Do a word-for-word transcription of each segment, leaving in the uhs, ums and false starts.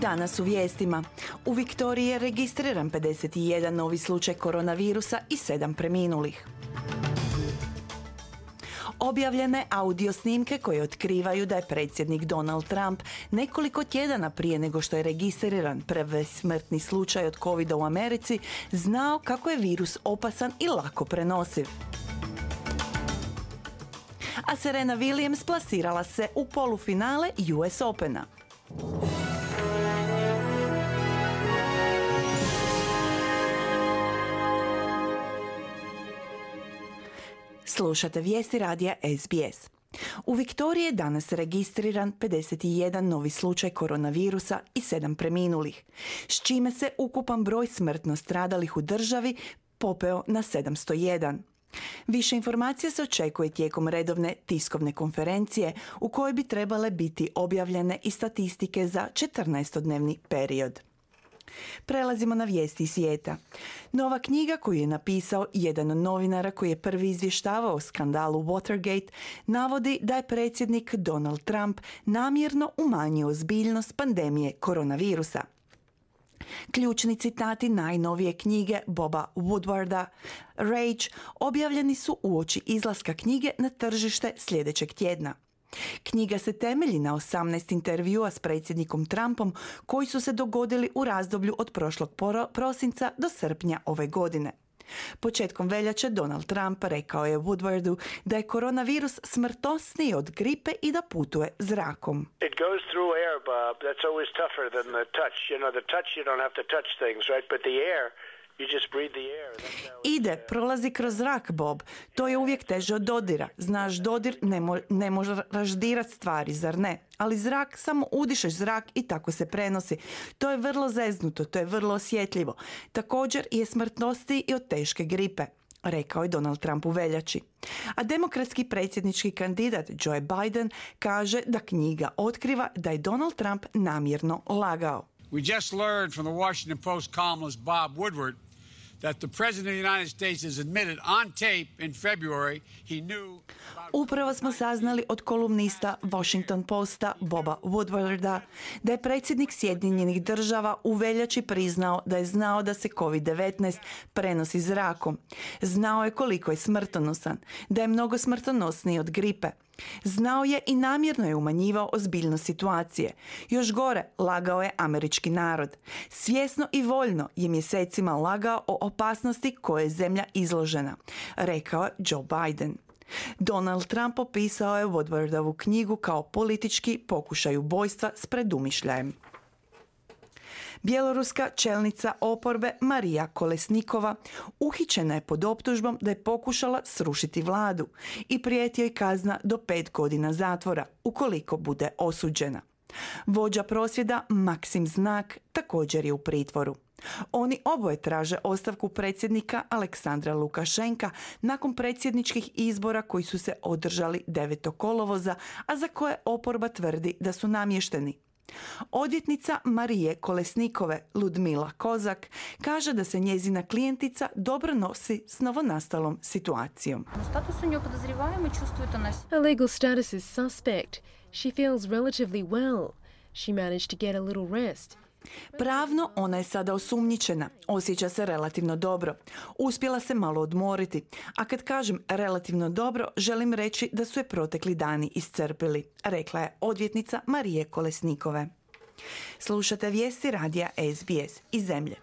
Danas u vijestima. U Viktoriji je registriran pedeset jedan novi slučaj koronavirusa i sedam preminulih. Objavljene audio snimke koje otkrivaju da je predsjednik Donald Trump nekoliko tjedana prije nego što je registriran prvi smrtni slučaj od covida u Americi znao kako je virus opasan i lako prenosiv. A Serena Williams plasirala se u polufinale U S Opena. Slušate vijesti radija S B S. U Viktoriji je danas registriran pedeset jedan novi slučaj koronavirusa i sedam preminulih, s čime se ukupan broj smrtno stradalih u državi popeo na sedamsto jedan. Više informacija se očekuje tijekom redovne tiskovne konferencije u kojoj bi trebale biti objavljene i statistike za četrnaestodnevni period. Prelazimo na vijesti iz svijeta. Nova knjiga koju je napisao jedan od novinara koji je prvi izvještavao o skandalu Watergate navodi da je predsjednik Donald Trump namjerno umanjio ozbiljnost pandemije koronavirusa. Ključni citati najnovije knjige Boba Woodwarda, Rage, objavljeni su uoči izlaska knjige na tržište sljedećeg tjedna. Knjiga se temelji na osamnaest intervjua s predsjednikom Trumpom koji su se dogodili u razdoblju od prošlog prosinca do srpnja ove godine. Početkom veljače Donald Trump rekao je Woodwardu da je koronavirus smrtosniji od gripe i da putuje zrakom. It goes through air, Bob. That's always tougher than the touch. You know, the touch you don't have to touch things, right? But the air, you just breathe the air. Ide, prolazi kroz zrak, Bob. To je uvijek teže od dodira. Znaš, dodir ne, mo- ne može raždirat stvari, zar ne? Ali zrak, samo udišeš zrak i tako se prenosi. To je vrlo zeznuto, to je vrlo osjetljivo. Također je smrtnosti i od teške gripe, rekao je Donald Trump u veljači. A demokratski predsjednički kandidat Joe Biden kaže da knjiga otkriva da je Donald Trump namjerno lagao. We just learned from the Washington Post columnist Bob Woodward that the president of the United States has admitted on tape in February he knew. Upravo smo saznali od kolumnista Washington Posta Boba Woodwarda da je predsjednik Sjedinjenih država u veljači priznao da je znao da se kovid devetnaest prenosi zrakom. Znao je koliko je smrtonosan, da je mnogo smrtonosniji od gripe. Znao je i namjerno je umanjivao ozbiljnost situacije. Još gore, lagao je američki narod. Svjesno i voljno je mjesecima lagao o opasnosti koje je zemlja izložena, rekao je Joe Biden. Donald Trump opisao je Woodwardovu knjigu kao politički pokušaj ubojstva s predumišljajem. Bjeloruska čelnica oporbe Marija Kolesnikova uhićena je pod optužbom da je pokušala srušiti vladu i prijeti joj kazna do pet godina zatvora ukoliko bude osuđena. Vođa prosvjeda Maksim Znak također je u pritvoru. Oni oboje traže ostavku predsjednika Aleksandra Lukašenka nakon predsjedničkih izbora koji su se održali devetog kolovoza, a za koje oporba tvrdi da su namješteni. Odvjetnica Marije Kolesnikove, Ludmila Kozak, kaže da se njezina klijentica dobro nosi s novonastalom situacijom. Her legal status is suspect. She feels relatively well. She managed to get a little rest. Pravno ona je sada osumnjičena, osjeća se relativno dobro. Uspjela se malo odmoriti, a kad kažem relativno dobro, želim reći da su je protekli dani iscrpili, rekla je odvjetnica Marije Kolesnikove. Slušate vijesti radija S B S iz zemlje.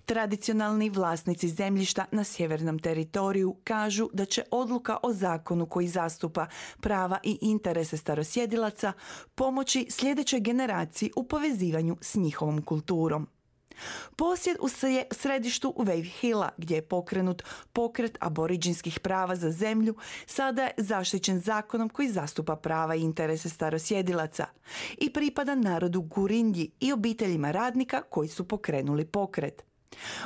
Tradicionalni vlasnici zemljišta na sjevernom teritoriju kažu da će odluka o zakonu koji zastupa prava i interese starosjedilaca pomoći sljedećoj generaciji u povezivanju s njihovom kulturom. Posjed u središtu Wave Hilla, gdje je pokrenut pokret aboriđinskih prava za zemlju, sada je zaštićen zakonom koji zastupa prava i interese starosjedilaca i pripada narodu Gurindji i obiteljima radnika koji su pokrenuli pokret.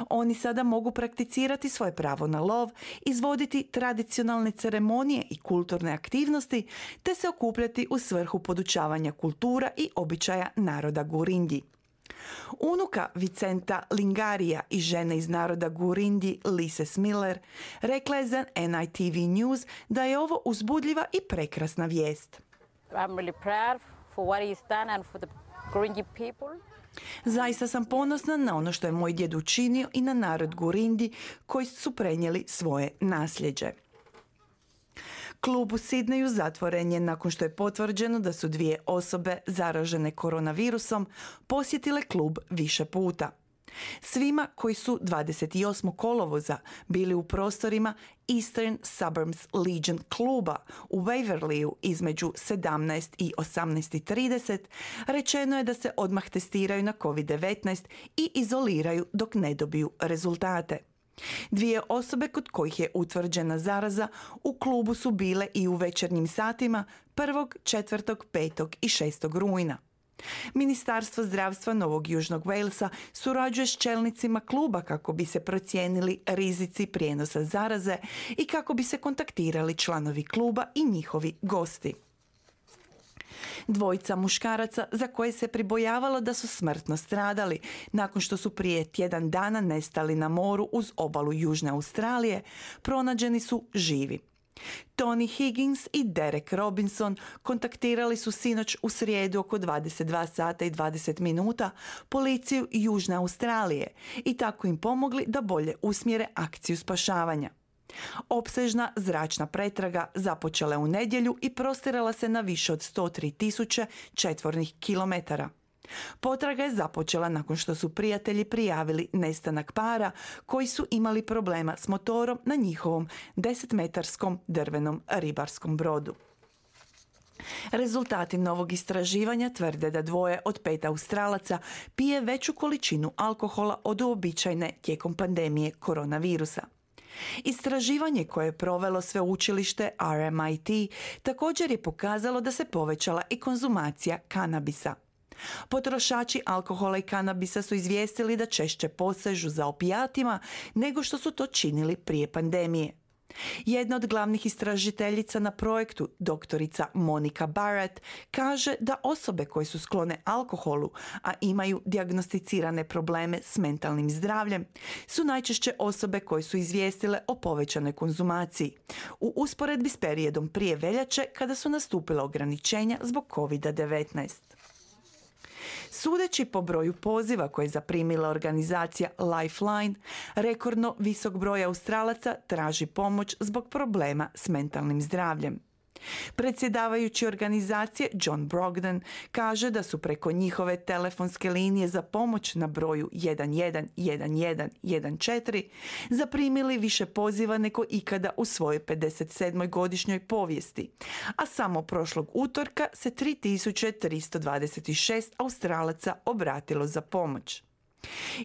Oni sada mogu prakticirati svoje pravo na lov, izvoditi tradicionalne ceremonije i kulturne aktivnosti, te se okupljati u svrhu podučavanja kultura i običaja naroda Gurindji. Unuka Vicenta Lingarija i žene iz naroda Gurindji Lise Smiller rekla je za N I T V News da je ovo uzbudljiva i prekrasna vijest. I'm really proud for what he's done and for the Gurindji people. Zaista sam ponosna na ono što je moj djed učinio i na narod Gurindi koji su prenijeli svoje nasljeđe. Klub u Sidneju zatvoren je nakon što je potvrđeno da su dvije osobe zaražene koronavirusom posjetile klub više puta. Svima koji su dvadeset osmog kolovoza bili u prostorima Eastern Suburbs Legion kluba u Waverleyu između sedamnaest i osamnaest trideset rečeno je da se odmah testiraju na kovid devetnaest i izoliraju dok ne dobiju rezultate. Dvije osobe kod kojih je utvrđena zaraza u klubu su bile i u večernjim satima prvog, četvrtog, petog i šestog rujna. Ministarstvo zdravstva Novog Južnog Walesa surađuje s čelnicima kluba kako bi se procijenili rizici prijenosa zaraze i kako bi se kontaktirali članovi kluba i njihovi gosti. Dvojica muškaraca za koje se pribojavalo da su smrtno stradali nakon što su prije tjedan dana nestali na moru uz obalu Južne Australije, pronađeni su živi. Tony Higgins i Derek Robinson kontaktirali su sinoć u srijedu oko dvadeset dva sata i dvadeset minuta policiju Južne Australije i tako im pomogli da bolje usmjere akciju spašavanja. Opsežna zračna pretraga započela je u nedjelju i prostirala se na više od sto tri tisuće četvornih kilometara. Potraga je započela nakon što su prijatelji prijavili nestanak para koji su imali problema s motorom na njihovom desetmetarskom drvenom ribarskom brodu. Rezultati novog istraživanja tvrde da dvoje od pet Australaca pije veću količinu alkohola od uobičajene tijekom pandemije koronavirusa. Istraživanje koje je provelo sveučilište R M I T također je pokazalo da se povećala i konzumacija kanabisa. Potrošači alkohola i kanabisa su izvijestili da češće posežu za opijatima nego što su to činili prije pandemije. Jedna od glavnih istražiteljica na projektu, doktorica Monica Barrett, kaže da osobe koje su sklone alkoholu, a imaju dijagnosticirane probleme s mentalnim zdravljem, su najčešće osobe koje su izvijestile o povećanoj konzumaciji, u usporedbi s periodom prije veljače kada su nastupila ograničenja zbog kovid devetnaest. Sudeći po broju poziva koje je zaprimila organizacija Lifeline, rekordno visok broj Australaca traži pomoć zbog problema s mentalnim zdravljem. Predsjedavajući organizacije John Brogden kaže da su preko njihove telefonske linije za pomoć na broju jedan jedan jedan jedan jedan četiri zaprimili više poziva nego ikada u svojoj pedeset sedmoj godišnjoj povijesti, a samo prošlog utorka se tri tisuće tristo dvadeset šest Australaca obratilo za pomoć.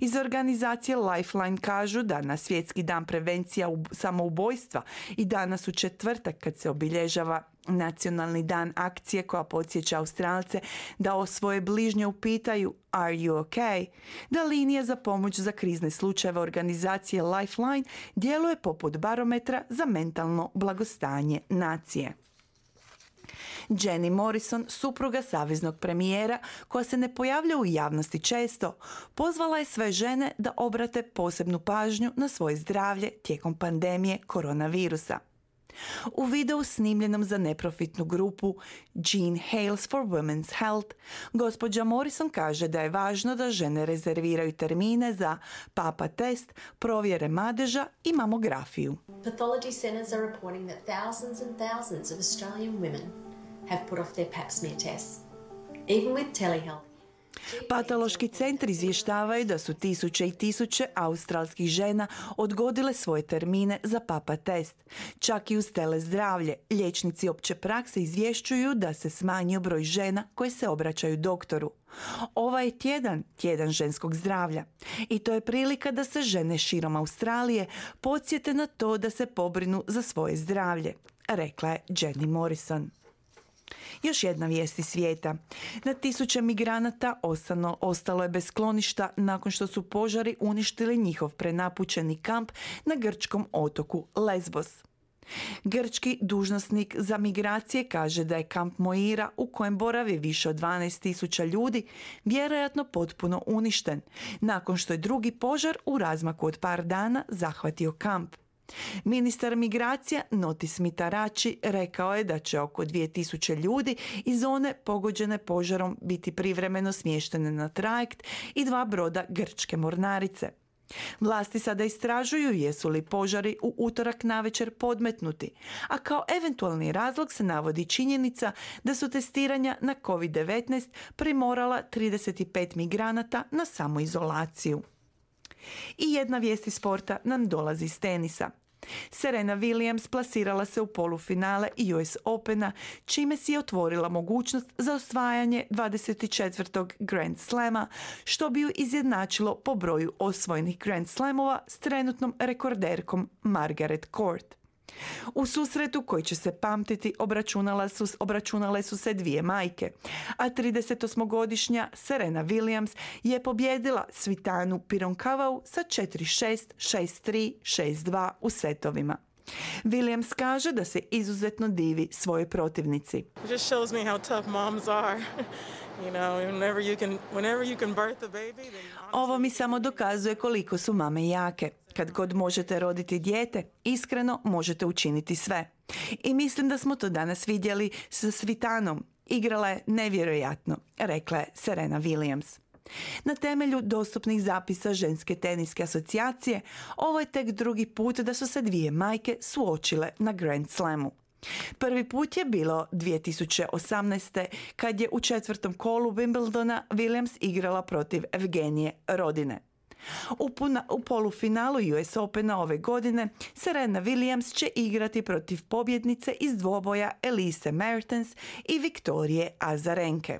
Iz organizacije Lifeline kažu da na Svjetski dan prevencija samoubojstva i danas u četvrtak kad se obilježava Nacionalni dan akcije koja podsjeća Australce da o svoje bližnje upitaju Are you okay? Da linija za pomoć za krizne slučajeve organizacije Lifeline djeluje poput barometra za mentalno blagostanje nacije. Jenny Morrison, supruga saveznog premijera, koja se ne pojavlja u javnosti često, pozvala je sve žene da obrate posebnu pažnju na svoje zdravlje tijekom pandemije koronavirusa. U videu snimljenom za neprofitnu grupu Jean Hales for Women's Health, gospođa Morrison kaže da je važno da žene rezerviraju termine za papa test, provjere madeža i mamografiju. Pathology centres are reporting that thousands and thousands of Australian women have put off their pap smear tests. Even with telehealth. Patološki centri izvještavaju da su tisuće i tisuće australskih žena odgodile svoje termine za papa test. Čak i uz telezdravlje, liječnici opće prakse izvješćuju da se smanjio broj žena koje se obraćaju doktoru. Ovaj je tjedan, tjedan ženskog zdravlja. I to je prilika da se žene širom Australije podsjete na to da se pobrinu za svoje zdravlje, rekla je Jenny Morrison. Još jedna vijest iz svijeta. Na tisuće migranata ostano, ostalo je bez skloništa nakon što su požari uništili njihov prenapučeni kamp na grčkom otoku Lesbos. Grčki dužnosnik za migracije kaže da je kamp Moira, u kojem boravi više od dvanaest tisuća ljudi, vjerojatno potpuno uništen, nakon što je drugi požar u razmaku od par dana zahvatio kamp. Ministar migracija Notis Mitarachi rekao je da će oko dvije tisuće ljudi iz zone pogođene požarom biti privremeno smještene na trajekt i dva broda grčke mornarice. Vlasti sada istražuju jesu li požari u utorak navečer podmetnuti, a kao eventualni razlog se navodi činjenica da su testiranja na kovid devetnaest primorala trideset pet migranata na samoizolaciju. I jedna vijest iz sporta nam dolazi iz tenisa. Serena Williams plasirala se u polufinale U S Opena, čime si je otvorila mogućnost za osvajanje dvadeset četvrtog Grand Slama, što bi ju izjednačilo po broju osvojenih Grand Slamova s trenutnom rekorderkom Margaret Court. U susretu koji će se pamtiti obračunale su, obračunale su se dvije majke, a tridesetosmogodišnja Serena Williams je pobjedila Svitanu Pironkavau sa četiri šest, šest tri, šest dva u setovima. Williams kaže da se izuzetno divi svojoj protivnici. It just shows me how tough moms are. You know, whenever you can, whenever you can birth a baby, then Ovo mi samo dokazuje koliko su mame jake. Kad god možete roditi dijete, iskreno možete učiniti sve. I mislim da smo to danas vidjeli sa Svitanom. Igrala je nevjerojatno, rekla je Serena Williams. Na temelju dostupnih zapisa Ženske teniske asocijacije, ovo je tek drugi put da su se dvije majke suočile na Grand Slamu. Prvi put je bilo dvije tisuće osamnaeste. kad je u četvrtom kolu Wimbledona Williams igrala protiv Evgenije Rodine. U, puna, u polufinalu U S Opena ove godine Serena Williams će igrati protiv pobjednice iz dvoboja Elise Mertens i Viktorije Azarenke.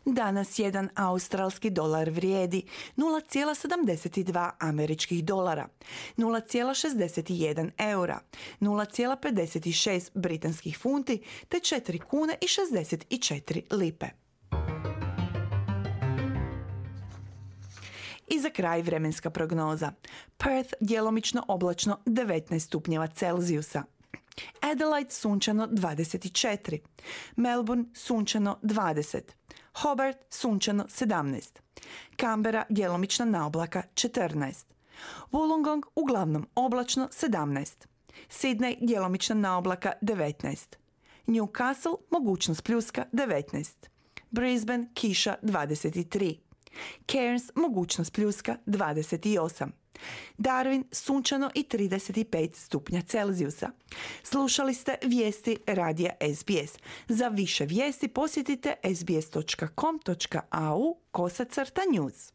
Danas jedan australski dolar vrijedi nula zarez sedamdeset dva američkih dolara, nula zarez šezdeset jedan eura, nula zarez pedeset šest britanskih funti te četiri kune i šezdeset četiri lipe. I za kraj vremenska prognoza. Perth djelomično oblačno devetnaest stupnjeva Celzijusa. Adelaide sunčano dvadeset četiri, Melbourne sunčano dvadeset, Hobart sunčano sedamnaest, Canberra djelomična naoblaka četrnaest, Wollongong uglavnom oblačno sedamnaest, Sydney djelomična naoblaka devetnaest, Newcastle mogućnost pljuska devetnaest, Brisbane kiša dvadeset tri, Cairns mogućnost pljuska dvadeset osam, Darwin sunčano i trideset pet stupnja Celzijusa. Slušali ste vijesti radija S B S. Za više vijesti posjetite sbs točka com točka au kosacrta news.